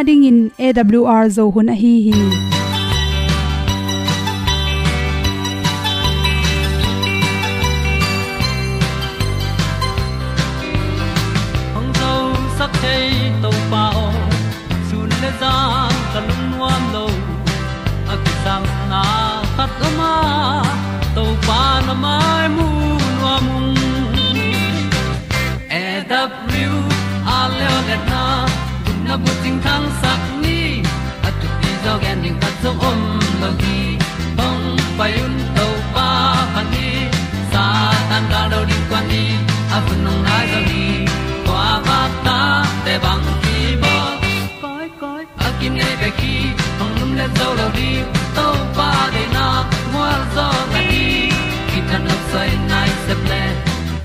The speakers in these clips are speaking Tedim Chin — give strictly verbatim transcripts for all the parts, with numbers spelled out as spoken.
Adingin A W R Zo hun ahi hi. Hong zosak thei Topa aw, sun le zan ka lungnuam lo. A kisangna khat om a, Topa na mai mu nuam ung. A W R leo letna, gupna bucing thangsak ni, a thupi zaw gen ding khat zong om lo hi. Hong pai un Topa phat ni, Satan gal do ding kuan ni, a hun hong nai zaw hi. Kua vak ta te bang hi baw. Koi, koi, a kinei bek hi, hong lum le zo lo ding, Topa deihna gualzawhna ding, kithanuam soi nai sep le,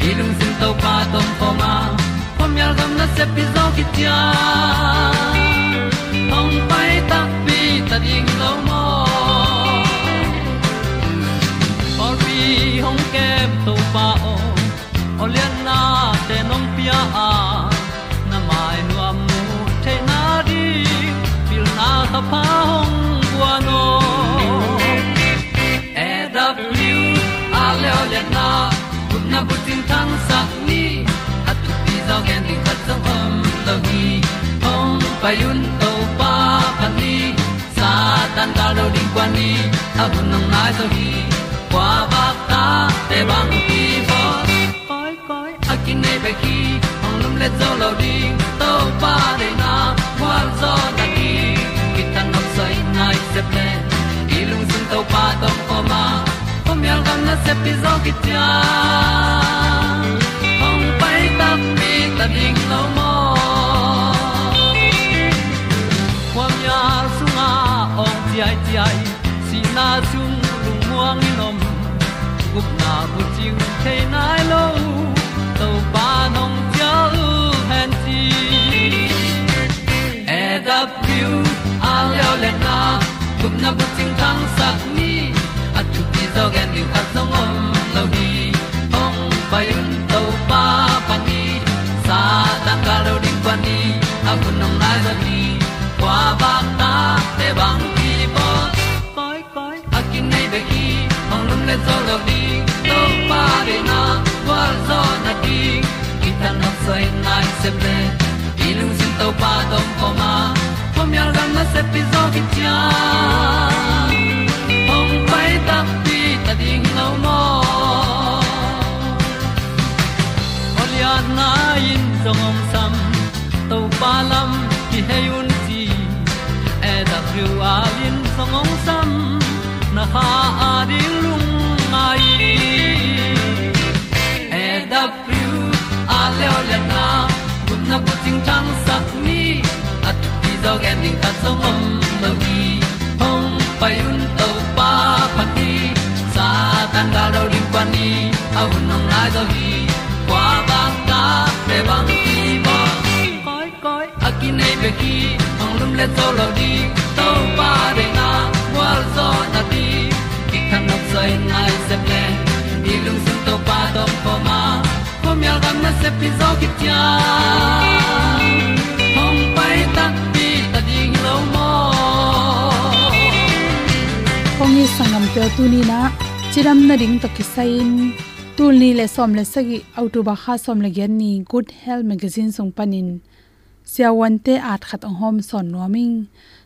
i lungsim Topa tawh om khawm a, khuamial gam nasep hi zaw kician, hong pai takpi ta ding lo maw. Pawlpi hong kem Topa aw, aw lianna te nong pia a, na mai nuam mu theihna ding, pilna thapha hong guan aw. A W R leo letna, gupna bucing thangsak ni, a thupi zaw gen ding khat zong om lo hi. Hong pai un Topa phat ni, Satan gal do ding kuan ni, a hun hong nai zaw hi. Kua vak ta te bang hi baw. Koi, koi, a kinei bek hi, hong lum le zo lo ding, Topa deihna gualzawhna ding, kithanuam soi nai sep le, i lungsim Topa tawh om khawm a, khuamial gam nasep hi zaw kician, hong pai takpi ta ding lo maw. Khuamial sungah awng ciaiciai, sihna sung lungmuang in om, gupna bucing thei nai lo, Topa nong cial hen ci. A W R leo letna, gupna bucing thangsak ni, a thupi zaw gen ding khat zong om lo hi. Hong pai un Topa phat ni, Satan gal do ding kuan ni, a hun hong nai zaw hi. Kua vak ta te bang hi baw. Koi, koi, a kinei bek hi, hong lum le zo lo ding, Topa deihna gualzawhna ding, kithanuam soi nai sep le, i lungsim Topa tawh om khawm a, khuamial gam nasep hi zaw kician, hong pai takpi ta ding lo maw. Aw lianna in zong hong sam, Topa lam kihei un ci, A W R in zong hong sam, na kha a ding lungngai. A W R leo letna, gupna bucing thangsak ni, a thupi zaw gen ding khat zong om lo hi. Hong pai un Topa phat ni, Satan gal do ding kuan ni, a hun hong nai zaw hi. Kua vak ta te bang hi baw. Koi, koi, a kinei bek hi, hong lum le zo lo ding, Topa deihna gualzawhna ding, kithanuam soi nai sep le, i lungsim Topa tawh om khawm a, khuamial gam nasep hi zaw kician, hong pai takpi ta ding lo maw. Kong it sanggamte aw, tuni-in ah cidam nading tawh kisai-in, tul nih le sawm le sagih, October kha sawm le giat ni, Good Health Magazine sung panin siavuante at khat hong hawm sawn nuam ing.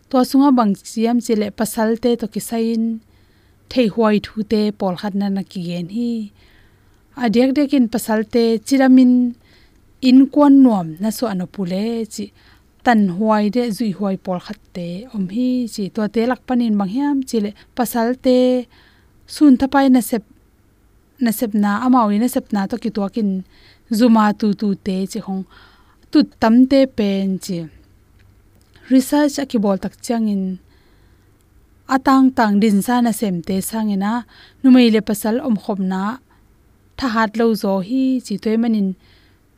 Tua sungah bang ci hiam cih leh pasalte tawh kisai-in theihhuai thute pawlkhat na na kigen hi. A diakdiakin pasalte cidamin innkuan nuam na suah nop uh leh cih tanhuai le zuihhuai pawlkhatte om hi ci. Tuate lak panin bang hiam cih leh pasalte sunthapai nasep nasepna, amau i nasepna tawh kituakin zuma tutute cih hong tut tamte pen ci research a kibawl tak ciangin a tangtang dinsa nasemte sangin ah numei le pasal omkhopna thahat lo zaw hi ci. Tua ahih manin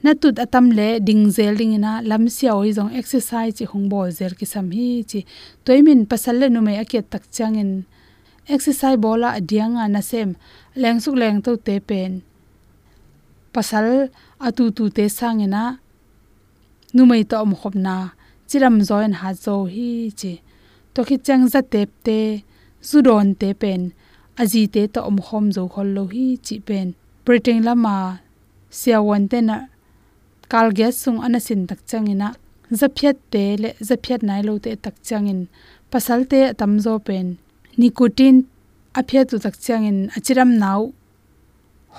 na tut a tam leh ding zel dingin ah lamsiau ahi zong exercise cih hong bawl zel kisam hi ci. Tua ahih manin pasal le numei a ki-et tak ciangin exercise bawl a diang a nasem lengsuk lengtote pen pasal a tutute sangin ah numei tawh omkhopna cidam zaw in hat zaw hi ci. Tua khit ciang zatepte, zudawnte pen a zite tawh omkhawm zo khol lo hi cih pen Britain lama siavuante in ah kalgiat sung a na sin tak ciangin ah, zaphiatte le zaphiat nai lote tak ciangin pasalte a tamzaw pen nicotine a phiat uh tak ciangin a cidamna uh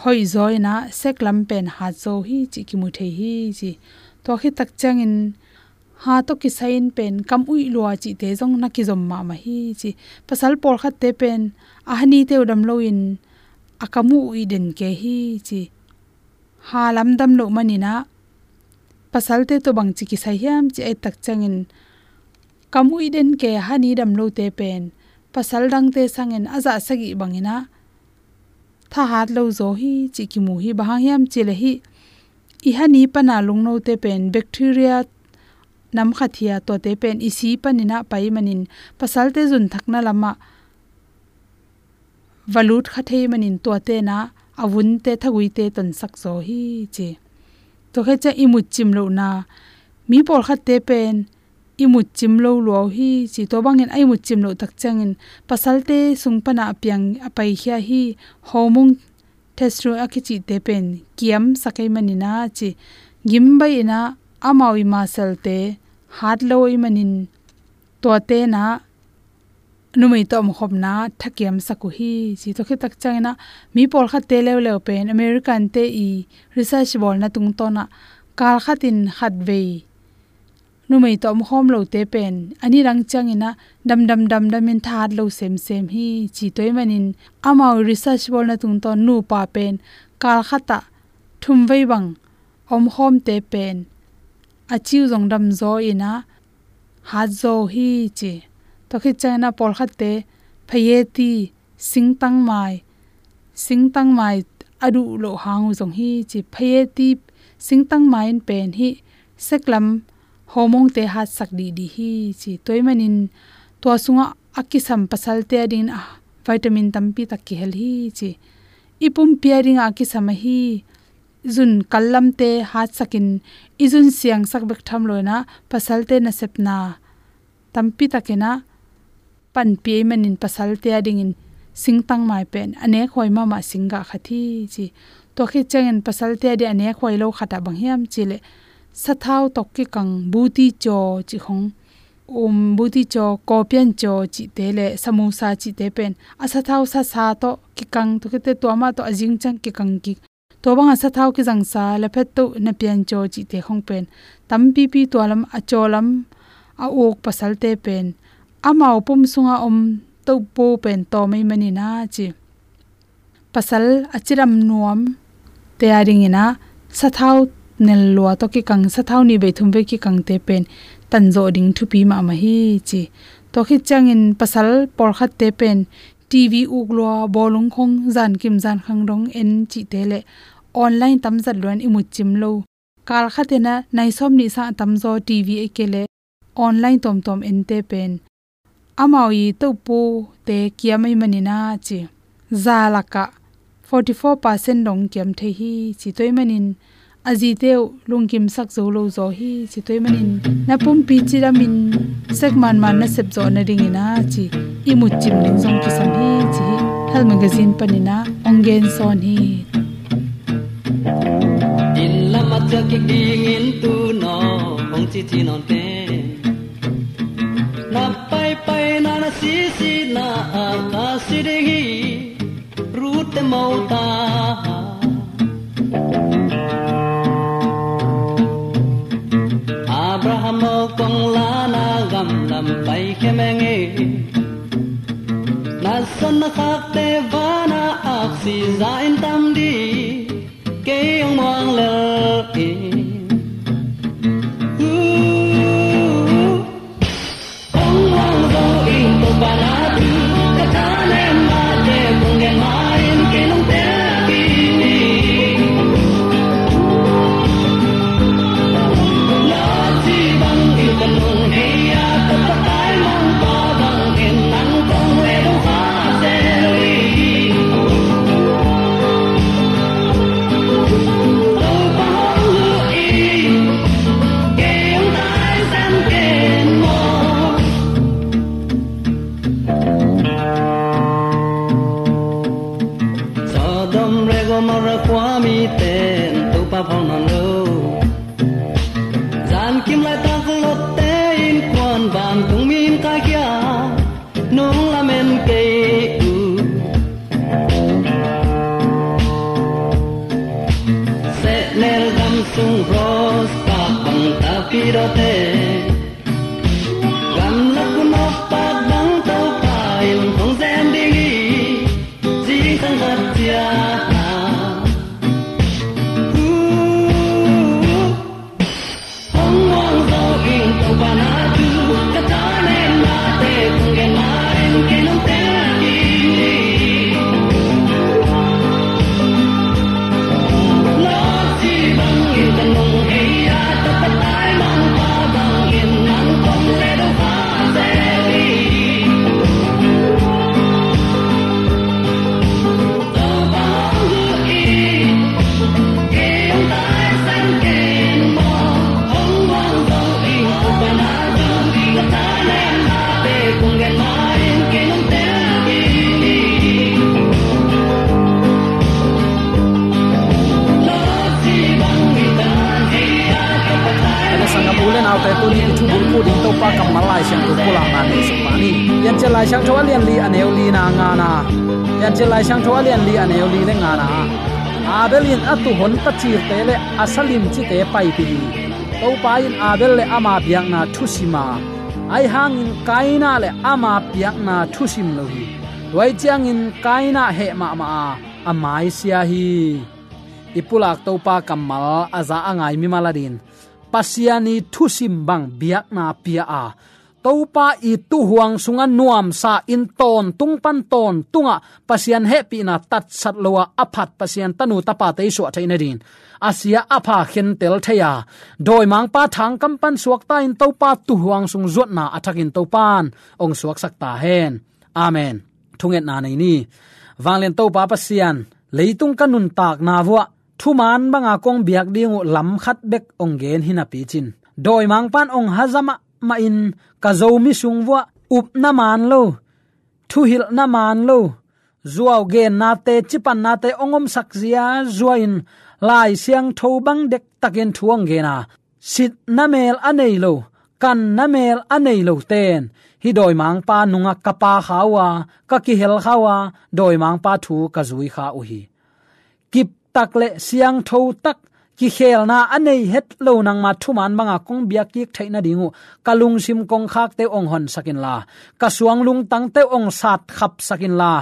hoih zaw in ah sek lam pen hat zaw hi cih kimu thei hi ci. Tua khit tak ciangin ha tawh kisai in pen kam uih lua cihte zong na kizom mahmah hi ci. Pasal pawlkhatte pen a hanite uh dam loin a kam uh uih den kei hi ci. Ha lam dam loh manin ah pasalte tawh bangci kisai hiam ci a et tak ciangin kam uih den kei, hani dam lote pen pasal dangte sangin a zah sagih bangin ah thahat lo zaw hi cih kimu hi. Bang hang hiam cih leh hih i hani pana lungnote pen bacteria nam khat hi a, tuate pen i si panin ah pai manin pasalte zunthakna lamah va lut kha thei manin tuate in ah a vunte, thaguite tonsak zaw hi ci. Tua khit ciang i mutcim lohna, mi pawlkhatte pen i mutcim lo lua uh hi ci. Tua bangin a i mutcim loh tak ciangin pasalte sung pana a piang a paikhia hih hormone, testosterone a kicihte pen kiamsak ahih manin ah ci. Gim baih in ah amau i muscle-te hat lo ahih manin tuate in ah numei tawh omkhawmna thakiamsak uh hi ci. Tua khit tak ciangin ah mi pawlkhatte leuleu pen American-te i research bawlna tungtawn ah kalkhat in khatvei numei tawh omkhawm lote pen a nidang ciangin ah damdam damdam in thahat lo semsem hi ci. Tua ahih manin amau i research bawlna tungtawn nupa pen kalkhat ah thumvei bang omkhawmte pen a ci uh zong dam zaw in ah hat zaw hi ci. Tua khit ciangin ah pawlkhatte phayeti, singtangmai, singtangmai a duh loh hang uh zong hi ci. Phayeti, singtangmai in pen hih sek lam hormone-te hatsak dihdih hi ci. Tua ahih manin tua sungah a kisam pasalte adingin ah vitamin tampi tak kihel hi ci. I pumpi adingah a kisam ahi zun kallamte hatsakin i zun siangsak bek tham lo in ah pasalte nasepna tampi takin ah panpih ahih manin pasalte adingin singtangmai pen a nekhuai mahmah singgah khat hi ci. Tua khit ciangin pasalte ading a nekhuai lo khat ah bang hiam cih leh sathau tawh kikang buti caw cih khong, um, buti caw, kaw pian caw cihte le samosa cihte pen a sathau sasa tawh kikang, tua khit teh tua mah tawh a zing ciang kikang kik. Tua banga sathau kizangsa, laphetto, na pian caw cihte khong pen tampipi tua lam, a caw lam a uk pasalte pen amau pum sunga om tohpo pen tawm ahih manin ah ci. Pasal a cidam nuamte adingin ah sathau nel lua tawh kikang, sathau nih vei thum vei kikangte pen tanzawh ding thupi mahmah hi ci. Tua khit ciangin pasal pawlkhatte pen TV uk lua, bawlung khong zankim zankhang dong en cihte le online tamzat luan i mutcim lo. Kalkhat in ah nai sawm nih sang a tamzaw TV ahih kei leh online tuamtuam ente pen amau i tohpote kiam ahih manin ah ci. Za lakah forty four percent dong kiam thei hi ci. Tua ahih manin a zite uh lungkimsak zo lo zaw hi ci. Tua ahih manin na pumpi cidamin sek manman na sepzawh nadingin ah ci, i mutcim ding zong kisam hi ci hi. Health Magazine panin ah hong gensawn hi. Inn lam a ciah kik dingin tu naw hong cici nawn ken. Na paipaina, na sisina a ka si ding hi. Ruth te mo ta. Abraham mo kong la na gam lam pai khe menge. Na son na khakte vana aksi za in tam di. Kei hong muang lel in. Hong muang zo in Topa na thu ka tha lem mah te kong gen ma in kei nong tel a ki ni. Na ci bang in ka nung hei a ka patai mang pa bang in nang kong le dong fa se lo in. Mara khua mite in Topa phawk nawn lo. Zankim laitak lotte in khuan vantung mi in kaikhia, nong lamen kei uh. Sehnel gam sung rose park bang tapidawte, gamlak kunawk park bang Topa in hong zem ding hi. Zingsang khat ciat na, uh, hong muang zo ing Topa na thu, ka thanem nate kong gen ma in kei nong tel kik hi. Lawsi bangin ka nung hei a, Topa taimangpa bangin nang kong le do fa se hi. Ene sangam u le naute, tuni i thubulphuh ding Topa kammal Lai Siangtho pulakna nei suk pah ni. Piancil Lai Siangtho a lian li a neu li na ngana. Piancil Lai Siangtho a lian li a neu li le ngana. Abel in a tuuhon tacirte le a salimcite paipih hi. Topa in Abel le ama biakna thusim a, ahi hangin Kaina le ama biakna thusim lo hi. Tua hi ciangin Kaina heh mahmah a, a maisia hi. I pulak Topa kammal a za a ngai mimal adingin Pasian i thusim bang biakna pia a, Topa i tuuhuang sungah nuamsa in tawntung pan tawntungah Pasian hehpihna tatsat lo a, a phat Pasian tanu tapate i suah theih nadingin a sia a pha khentel thei a, dawimangpa thangkam pan suakta in Topa tuuhuang sung zuatna a thakin Topa in hong suaksak ta hen. Amen. Thungetna nei ni. Vanglian Topa Pasian, leitung ka nuntakna vuah thuman banga kong biak ding uh lam khat bek hong gen hi napi cin, dawimangpa in hong haza mahmah in ka Zomi sung vuah upna man lo, thuhilhna man lo, zuau gennate, cipannate hong omsak zia zua in Lai Siangtho bang dektakin thu hong gen a, sitna mel a nei lo, kanna mel a nei lo ten hih dawimangpa nungah ka pha kha uh a, ka kihel kha uh a, dawimangpa thu ka zui kha uh hi. Kiptak le siangtho tak, kikhelna a nei het lo nangma thuman banga kong biak kik theih nading uh ka lungsim kongkhakte uh hong honsak inla, ka suang lungtangte uh hong satkhapsak inla,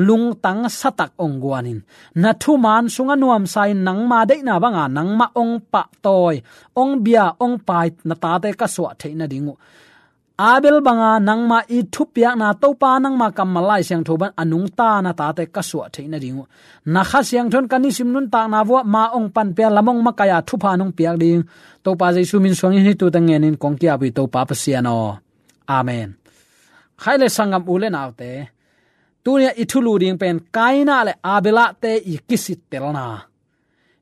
lungtang satak hong guan in. Na thuman sungah nuamsa in nangma deihna banga nangmah hong pahtawi, hong bia, hong pai na tate ka suah theih nading uh, Abel banga nangma i thupiakna Topa nangma kammal Lai Siangtho bang a nungta na tate ka suah theih nading uh, na Kha Siangtho in ka nisim nuntakna vuah ma hong panpia, lam hong makaih a, thupha nong piak ding Topa Jesu min suangin hih thu teng ngenin kong ki-ap uh hi Topa Pasian aw. Amen. Khaile sanggam u le naute, tuni-ah i thulu ding pen Kaina le Abel ahte i kisittelna.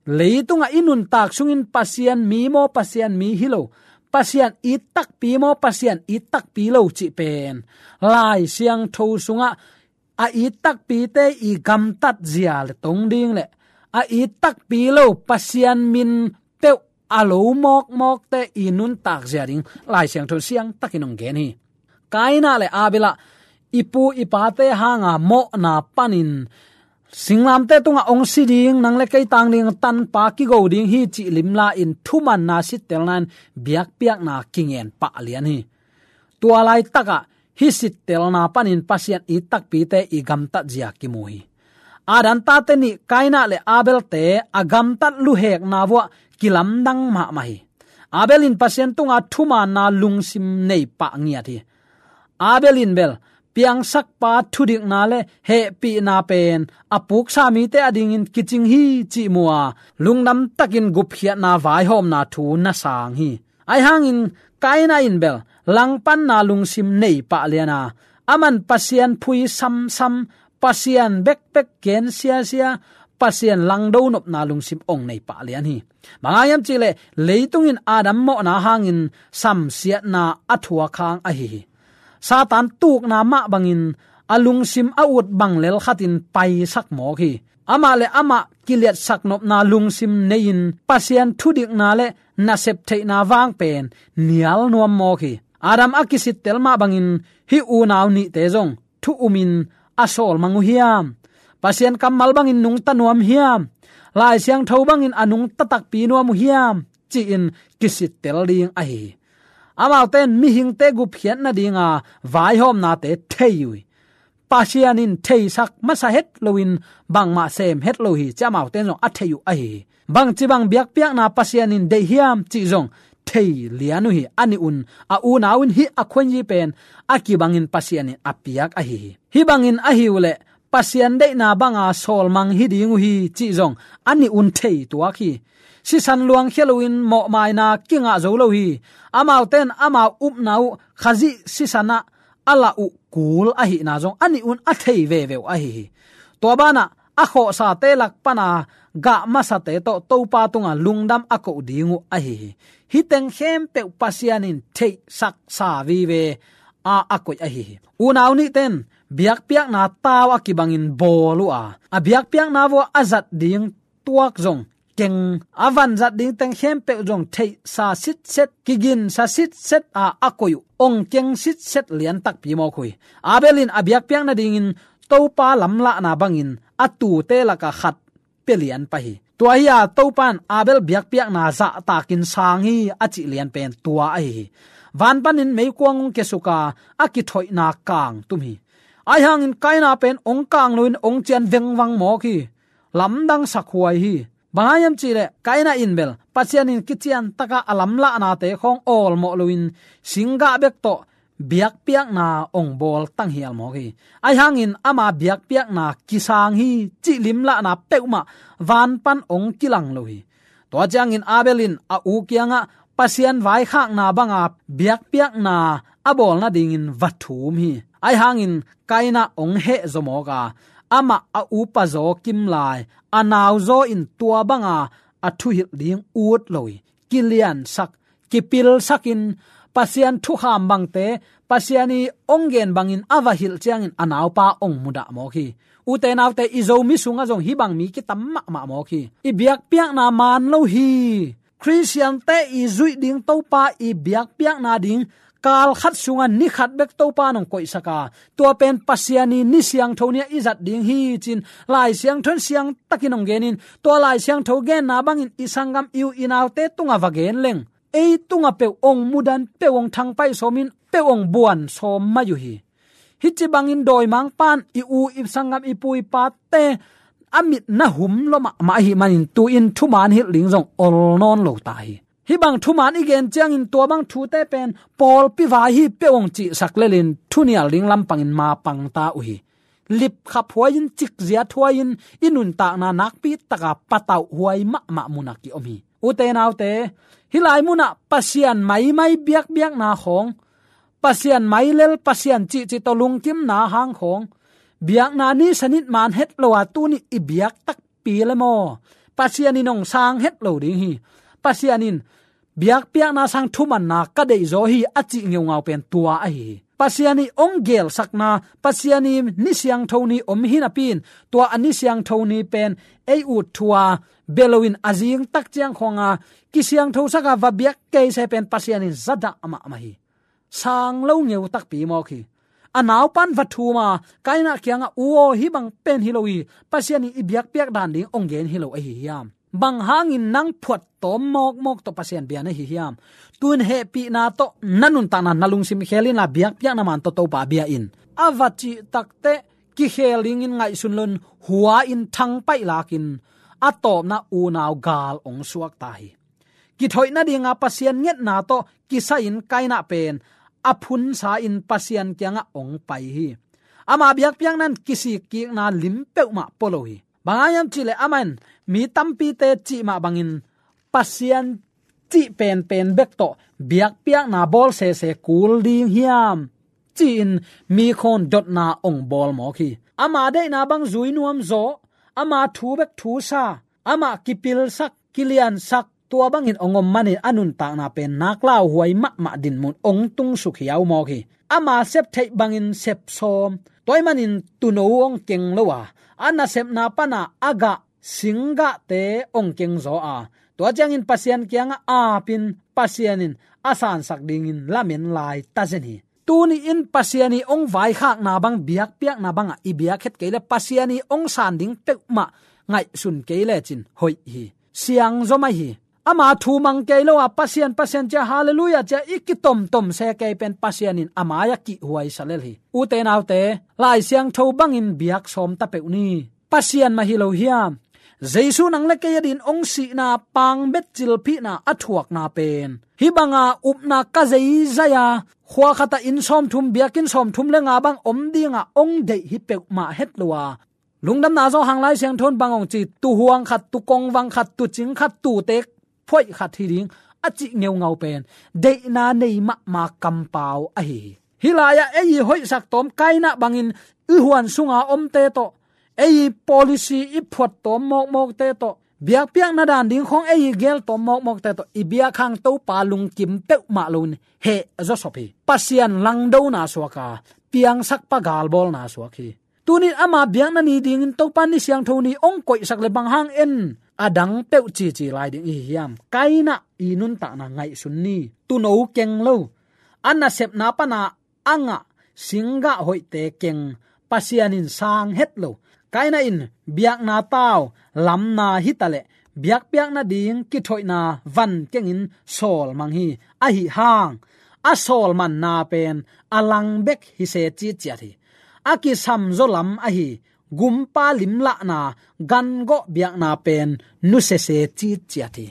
Leitungah i nuntak sungin Pasian mi maw, Pasian mi hi lo, Pasian it takpi maw, Pasian it takpi lo cih pen Lai Siangtho sungah a it takpite i gamtat zia le tong ding le a it takpi lo Pasian min peuh a lo mawkmawkte i nuntak zia ding Lai Siangtho siangtakin hong gen hi. Kaina le Abel ah i pu i pate hanga mawhna panin singlamteh tungah hong si ding, nang le kei tang ding tanpa kigo ding hi cih limla in thumanna sittelna in biakpiakna kingen pah lian hi. Tua laitakah hih sittelna panin Pasian it takpite i gamtat zia kimu hi. Adam tate nih Kaina le Abelte a gamtat luhekna vuah kilamdang mahmah hi. Abel in Pasian tunga thumanna lungsim nei pah ngiat hi. Abel in bel piangsakpa thudikna le hehpihna pen a puksa mite adingin kicing hi cih mu a, lungdam takin gupkhiatna vaihawmna thu na sang hi. Ahi hangin Kaina in bel langpanna lungsim nei pah lian a, aman Pasian phui samsam, Pasian bekbek gen siasia, Pasian langdo nopna lungsim hong nei pah lian hi. Bang hang hiam cihleh leitung in Adam mawhna hangin samsiatna a thuak hang ahi hi. Satan tukna mah bangin a lungsim a ut bang lel khatin paisak mawk hi. Amah le amah kiliatsak nopna lungsim nei-in Pasian thudikna le nasep theihna vang pen nial nuam mawk hi. Adam a kisittel mah bangin hih unau nihte zong thu umin a sawlmang uh hiam? Pasian kammal bangin nungta nuam hiam? Lai Siangtho bangin a nungta takpi nuam uh hiam? Ci-in kisittel ding ahi hi. Amaute in mihingte gupkhiat nadinga vaihawmnate thei uh hi. Pasian in theisak masa het loin bangmah sem het lo hi, ci amaute in zong a thei uh ahi hi. Bangci bang biakpiakna Pasian in deih hiam cih zong thei lian uh hi. A nih un a unau in hih a khuanyi pen a kibangin Pasian in a piak ahi hi. Hih bangin ahi uh leh Pasian deihna banga sawlmang hi ding uh hi cih zong a nih un thei tuak hi. Sisan luangkhia loin mawhmaina kingah zo lo hi. Amaute in amau upna uh Khazih sisan ah a lah uh kul ahihna zong a nih un a thei veve uh ahi hi. Tua banah a khawhsate lak pana gah masate tawh Topa tunga lungdam a koh ding uh ahi hi. Hih teng khempeuh Pasian in theihsaksa vive a a koih ahi hi. Unau nihte in biakpiakna tau a kibangin bawl uh a, a biakpiakna vua a zat ding tuak zong keng, a vanzat ding teng khempeuh zong theihsa sitset, kiginsa sitset a a koih uh, ong keng sitset lian takpi mawk uh hi. Abel in a biakpiak nadingin Topa lamlahna bangin a tute laka khat pia lian pah hi. Tua hi a Topa in Abel biakpiakna zahtakin sang hi a cih lian pen tua ahi hi. Van panin meikuang hong kiasuka a kithoihna kang tum hi. Ahi hangin Kaina pen ong kang loin ong cian vengvang mawk hi. Lamdang sakhuai hi. Bang hang hiam cihleh Kaina in bel Pasian in kician taka a lamlahnate khawng awlmawh loin singgah bek tawh biakpiakna ong bawl tanghial mawk hi. Ahi hangin ama biakpiakna kisang hi cih limlahna peuhmah van pan ong kilang lo hi. Tua ciangin Abel in a u kiangah Pasian vaikhakna banga biakpiakna a bawl nadingin va thum hi. Ahi hangin Kaina ong hehzaw mawk a, amah a upa zaw kimlai a nauzaw in tua banga a thuhilh ding ut lo hi. Kiliansak, kipilsakin Pasian thukham bangte, Pasian i ong gen bangin a va hilh ciangin a naupa ong mudah mawk hi. Ute naute, i Zomi sungah zong hih bang mi kitam mahmah mawk hi. I biakpiakna maan lo hi. Khristiante i zuih ding Topa i biakpiakna ding kal khat sungah ni khat bek Topa in ong koihsak a, tua pen Pasian i ni siangtho ni-ah i zat ding hi ci-in Lai Siangtho in siangtakin ong genin, tua Lai Siangtho genna bangin i sanggam i u i naute tungah va gen leng ei tungah peuh ong mudan, peuh ong thangpaih sawmin, peuh ong buan sawm mai uh hi. Hih ci bangin dawimangpa in i u i sanggam i pu i pate a mit na hum lua mahmah ahih manin tu-in thumaan hilh ding zong ol nawn lo ta hi. Hih bang thumaan i gen ciangin tua bang thute pen pawlpi vai hi, peuh ong cihsak lelin thunial ding lampangin mapang ta uh hi. Lipkhap huai-in, cikziat huai-in, i nuntakna nakpi taka patauh huai mahmah munah ki-om hi. Ute naute, hih lai munah Pasian maimai biakbiakna khawng, Pasian mailel, Pasian cihcih tawh lungkimna hang khawng, biakna ni sanit maan het lo a tuni i biak takpi le maw, Pasian in ong sang het lo ding hi. Pasian in biakpiakna sang thumanna ka deihzaw hi a cih ngeungau pen tua ahi hi. Pasian i ong gelsakna, Pasian i ni siangtho ni om hi napi-in, tua a ni siangtho ni pen ei ut thu a bia loin a zing tak ciang khawnga kisiangthosak a va biak keise pen Pasian in zadah mahmah hi. Sang lo ngeu takpi mawk hi. A naupa in va thum a, Kaina kiangah, "U aw, hih bang pen hi lo hi, Pasian in i biakpiak dan ding ong gen hi lo ahi hiam? Bang hangin nang phuattawm mawkmawk tawh Pasian bia na hi hiam? Tu-in hehpihna tawh na nuntakna na lungsim khel inla, biakpiakna maan tawh Topa bia in," a va cih takteh kikhel dingin ngaihsun loin hua-in thangpaih lakin a tawpna unau gal ong suak ta hi. Kithoih nadinga Pasian ngetna tawh kisai-in Kaina pen a phunsa-in Pasian kiangah ong pai hi. Ama biakpiakna in kisikkikna lim peuhmah pua lo hi. Bang hang hiam cihleh amah in mi tampite cih mah bangin Pasian cih penpen bek tawh biakpiakna bawl sese kul ding hiam ci-in mi khawn dotna ong bawl mawk hi. Ama deihna bang zui nuam zaw, ama thu bek thusa, amah kipilsak, kiliansak, tua bangin ong om manin a nuntakna pen nak lauhuai mahmah dinmun ong tungsuk hiau mawk hi. Ama sep theih bangin sep sawm, tua ahih manin tuuno ong keng lo a, a nasepna pana a gah singgahte ong kengzaw a, tua ciangin Pasian kiangah apin Pasian in a sansak dingin lamen lai tazen hi. Tuni in Pasian i ong vaikhakna bang biakpiakna bangah i biakhet kei le Pasian i ong san ding peuhmah ngaihsun kei lecin hoih hi. Siangzom ahi hi. Ama thu mang kei lo a Pasian, Pasian cia, Halleluia cia i kitomtom se kei pen Pasian in a mai-ah kihhuai sa lel hi. Ute naute, Lai Siangtho bangin biak sawm ta peuh ni. Pasian mah hi lo hiam? Jesu nang le kei a din ong sihna, pangbet cilphihna a thuakna pen, hih banga upna ka zeizai a, khua khatah inn sawmthum, biakinn sawmthum le nga bang om dinga ong deih hi peuhmah het lo a, lungdamna zawhang Lai Siangtho in bang ong ci, tuhuang khat, tukongvang khat, tucing khat, tute phoih khat hi ding a cih ngeungau pen deihna nei mahmah kampau ahi hi. Hih lai-ah ei i hoihsak tawm Kaina bangin i huan sunga omte tawh, ei i policy i phuat tawm mawkmawkte tawh, biakpiakna dan ding khawng ei i gel tawm mawkmawkte tawh i biak hang Topa lungkim peuhmah loin heh zawsop hi. Pasian langdona suak a, piangsak pa galbawlna suak hi. Tunin ama biakna ni dingin Topa ni siangtho ni ong koihsak le bang hang en a dang peuh cici lai ding i hi hiam? Kaina i nuntakna ngaihsun ni. Tuuno keng lo, a nasepna pana a ngah singgah hoihte keng, Pasian in sang het lo. Kaina in biakna tau lamna hitaleh biakpiakna ding kithoihna van kengin sawlmang hi. Ahi hang a sawlmanna pen a lang bek hi se citciat hi. A kisamzaw lam ahi gumpa limlahna, gangawh biakna pen nusia se citciat hi.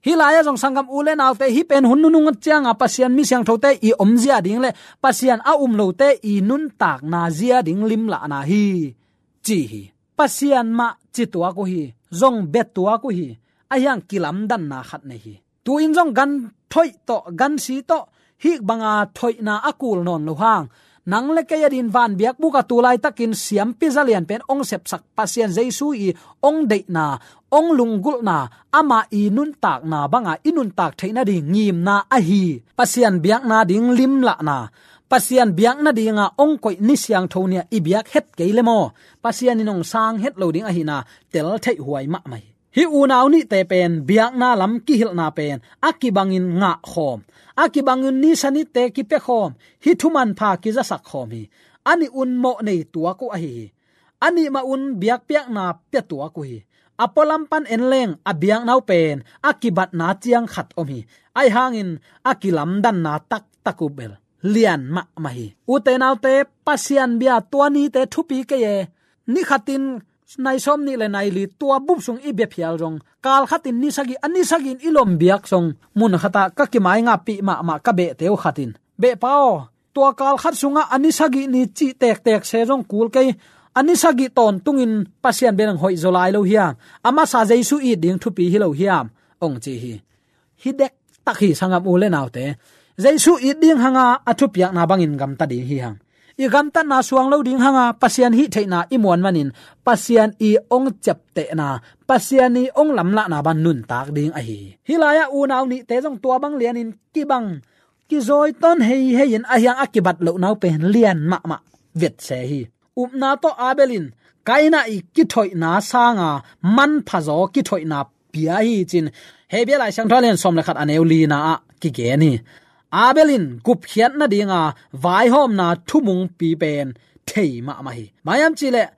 Hih lai-ah zong sanggam u le naute, hih pen hun nunung cianga Pasian mi siangthote i omzia ding le Pasian a um lote i nuntakna zia ding limlahna hi ci hi. Pasian mah ci tuak uh hi, zong bia tuak uh hi. Ahi hang kilamdanna khat nei hi. Tu-in zong gan thoih tawh, gan si tawh, hih banga thoihna a kul nawn lo hang, nang le kei a din van biakbuk a tu laitakin siampi zalian pen ong sepsak Pasian Jesu i ong deihna, ong lunggulhna, ama i nuntakna banga i nuntak theih nading ngimna ahi. Pasian biakna ding limlahna, Pasian biakna dinga ong koih ni siangtho nia i biak het kei le maw, Pasian in ong sang het lo ding ahina tel theih huai mahmah hi. Hih unau nihte pen biakna lam kihilhna pen a kibangin ngahkhawm, a kibangin ni sa nitte kipiakhawm, hih thumanpha kizasak khawm hi. A nih un mawh nei tuak uh ahi hi. A nih mah un biakpiakna pia tuak uh hi. A pualam pan en leng a biakna uh pen a kibatna ciang khat om hi. Ahi hangin a kilamdanna taktak uh bel lian mahmah hi. Ute naute, Pasian bia tua nite thupi kei e. Ni khatin nai sawm nih le nai li tua bup sung i bia phial zong, kal khatin ni sagih, a ni sagih in i lom biak zong, mun khatah ka kimaingapih mahmah ka behte uh khatin, "Behpa aw, tua kal khat sungah a ni sagih ni cih tektek se zong kul kei, a ni sagih tawntungin Pasian bia nang hoih zaw lai lo hiam? A masa Jesu it ding thupi hi lo hiam?" ong ci hi. Hi dektak hi, sanggam u le naute. Jesu it ding hanga a thupiakna bangin gamta ding hi hang. I gamtatna suang lo ding hanga Pasian hih theihna i muan manin Pasian i ong ciaptehna, Pasian i ong lamlahna bang nuntak ding ahi hi. Hih lai-ah unau nihte zong tua bang lianin kibang, kizawi tawn heihei in ahi hang a kibat lohna uh pen lian mahmah vetse hi. Upna tawh Abel in Kaina i kithoihna sanga manphazaw kithoihna pia hi cin, Hebru Lai Siangtho a lian sawm le khat a neu lina ah kigen hi. Abel in gupkhiat nadinga vaihawmna thumungpi pen thei mahmah hi. Bang hiam cihleh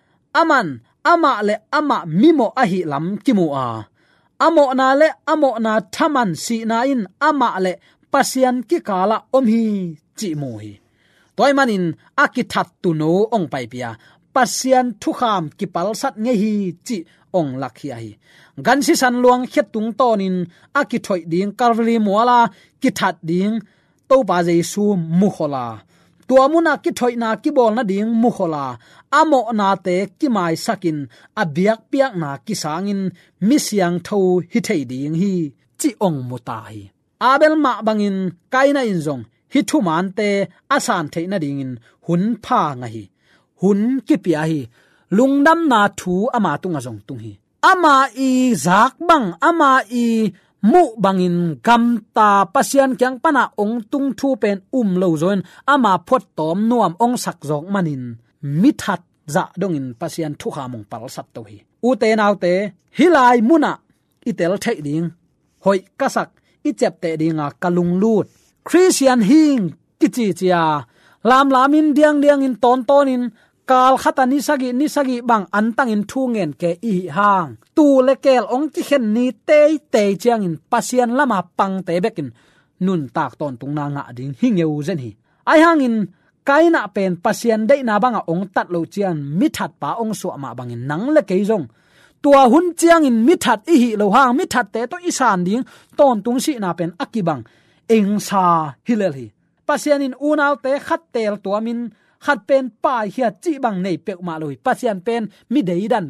aman amah le amah mimawh ahih lam kimu a, a mawhna le a mawhna thaman sihna in amah le Pasian kikalah om hi cih mu hi. Tua ahih manin a kithat tuuno ong paipih a, Pasian thukham kipalsat ngei hi cih ong lakkhia hi. Gan sisan luang khia tungtawnin a kithoih ding Calvary muala kithat ding Topa Jesu mukhol a, tua munah kithoihna kibawl nading mukhol a, a mawhnate kimaisakin a biakpiakna kisangin mi siangtho hi thei ding hi cih ong mu ta hi. Abel mah bangin Kaina in zong hih thumaante a san theih nadingin hun pha ngah hi. Hun kipia hi. Lungdamna thu ama tungah zong tung hi. Ama i zak bang, ama i muh bangin gamta Pasian kiang pana ong tung thu pen um lo zawin ama phuattawm nuam ong sak zawk manin mithat zah dongin Pasian thukham hong palsat to hi. Ute naute, hih lai munah i tel theih ding, hoih ka sak, i ciapteh dinga ka lunglut Khristian hing kicicia lamlamin diangdiangin tawntawnin kal khata ni sagih ni sagih bang antangin thu ngen ke i hih hang, tuu le keel hong kikhen ni teitei ciangin Pasian lama pangte bekin nuntak tawntungna ngah ding hi ngeu zen hi. Ahi hangin Kaina pen Pasian deihna banga hong tat loh ciang mithatpa hong suah mah bangin nang le kei zong tua hun ciangin mithat i hih loh hang mithatte tawh i san ding tawntung sihna pen a kibang engsa hi lel hi. Pasian in unaute khat teel tuamin khat pen paikhiat cih bang nei peuhmah lo hi. Pasian pen mi deidan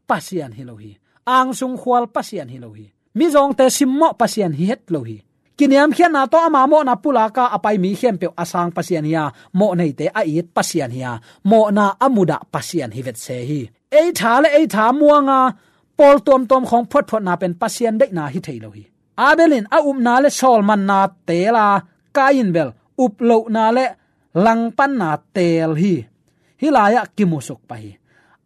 Pasian hi lo hi. Angsung khual Pasian hi lo hi. Mizawngte simmawh Pasian hi het lo hi. Kiniamkhiatna tawh ama mawhna pulaka a pai mi khempeuh a sang Pasian hi a, mawhneite a it Pasian hi a, mawhna a mudah Pasian hi vetse hi. Ei tha le ei tha muanga pawl tuamtuam khawng phuatphuatna pen Pasian deihna hi thei lo hi. Abel in a upna le sawlmanna teel a, Kain bel uplohna le langpanna teel hi. Hih lai-ah kimusuk pah hi.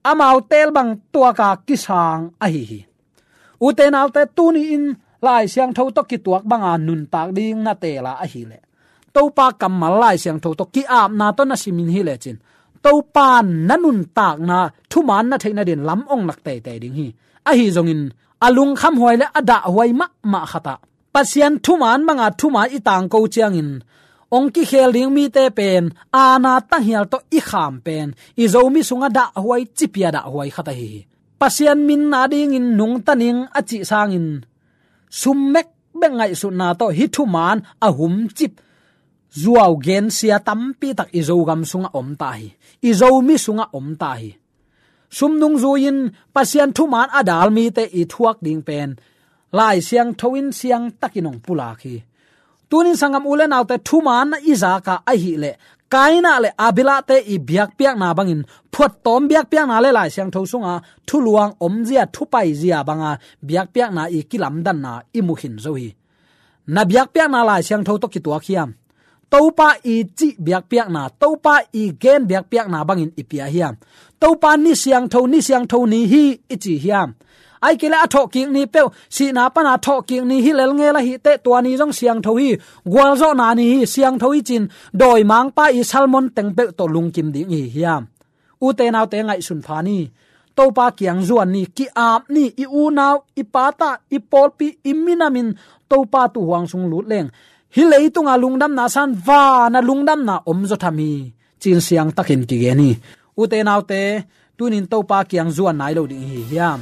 Amau teel bang tuaka kisang ahi hi. Ute naute, tuni-in Lai Siangtho tawh kituak banga nuntak ding na teela ahileh Topa kammal Lai Siangtho tawh ki-apna tawh na simin hi lecin Topa na nuntakna thuman na theih nadin lam ong lak teitei ding hi. Ahi zongin a lungkhamhuai le a dahhuai mahmah khatah Pasian thuman banga thuman i tangko ciangin ong kikhel ding mite pen aana tanghial tawh i kham pen i Zomi sungah dahhuai cipia dahhuai khat ahi hi. Pasian min adingin nungta ning a cih sangin sum mekbek ngaihsutna tawh hih thuman a humcip zuau gensia tampitak i Zogam sungah om ta hi. I Zomi sungah om ta hi. Sum nungzui-in Pasian thuman a dal mite i thuak ding pen Lai Siangtho in siangtakin ong pulak hi. Tunin sanggam u le naute, thuman na i zaka ahileh Kaina le Abelate i biakpiakna bangin phuattawm biakpiakna le Lai Siangtho sunga thuluang omzia thupaizia banga biakpiakna i kilamdanna i mukhin zo hi. Na biakpiakna Lai Siangtho tawh kituak hiam? Topa i cih biakpiakna, Topa i gen biakpiakna bangin i pia hiam? Topa ni siangtho, ni siangtho ni hi i ci hiam? Ahih kei leh a thawhkik ni peuh, sihna pana thawhkik ni hi lel ngel ahih teh tua ni zong siangtho hi, gualzawhna ni hi, siangtho hi cin dawimangpa i sermon teng peuh tawh lungkim ding i hi hiam? Ute naute, ngaihsun pha ni. Topa kiang zuan ni, ki-ap ni, i unau, i pata, i pawlpi, i minamin Topa tuuhuang sung lut leng hih leitunga lungdamna san vana lungdamna om zaw tham hi, cin siangtakin kigen hi. Ute naute, tunin Topa kiang zuan nai lo ding i hi hiam?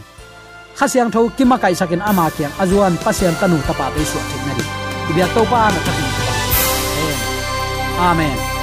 Kha Siangtho kimakaihsakin ama kiang a zuan Pasian tanu tapate i suah theih nading i biak Topa na thakin. Amen.